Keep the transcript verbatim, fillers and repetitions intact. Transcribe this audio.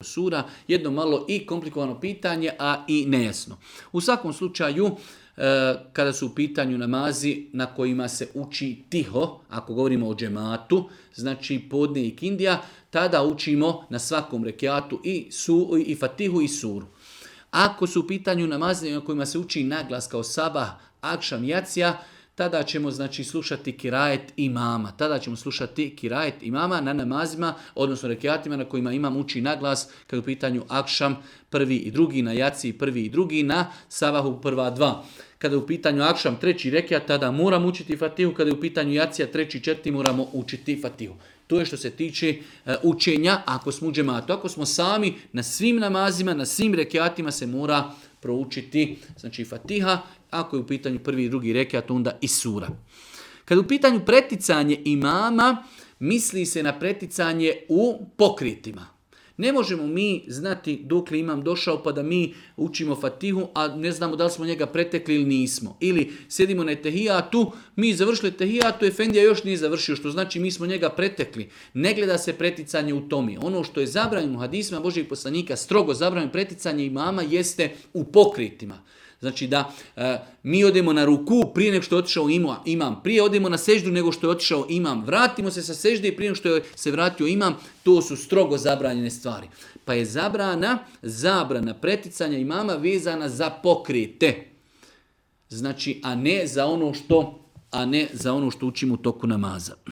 sura, jedno malo i komplikovano pitanje, a i nejasno. U svakom slučaju, kada su u pitanju namazi na kojima se uči tiho, ako govorimo o džematu, znači podne i kindija, tada učimo na svakom rekiatu i, su, i fatihu i suru. Ako su u pitanju namazi na kojima se uči naglas kao sabah, akšam, jacija, tada ćemo znači slušati kirajet imama. Tada ćemo slušati kirajet imama na namazima, odnosno rekiatima na kojima imam uči naglas, kada je u pitanju akšam prvi i drugi, na jaciji prvi i drugi, na sabahu prva dva. Kada je u pitanju akšam treći rekiat, tada moram učiti fatihu, kada je u pitanju jacija treći četiri moramo učiti fatihu. To je što se tiče uh, učenja ako smo u džematu. Ako smo sami, na svim namazima, na svim rekiatima se mora proučiti znači fatiha, ako je u pitanju prvi i drugi rekiat, onda i sura. Kada je u pitanju preticanje imama, misli se na preticanje u pokritima. Ne možemo mi znati dok li imam došao pa da mi učimo fatihu, a ne znamo da li smo njega pretekli ili nismo. Ili sjedimo na tehijatu, mi završili tehijatu, efendija još nije završio, što znači mi smo njega pretekli. Ne gleda se preticanje u tome. Ono što je zabranjeno u hadisima Božijeg poslanika, strogo zabranjeno preticanje imama, jeste u pokritima. Znači da e, mi odemo na ruku prije nego što je otišao imam, prije odemo na seždu nego što je otišao imam, vratimo se sa sežde prije nego što je se vratio imam, to su strogo zabranjene stvari. Pa je zabrana, zabrana preticanja imama vezana za pokrete. Znači, a ne za ono što, a ne za ono što učimo u toku namaza.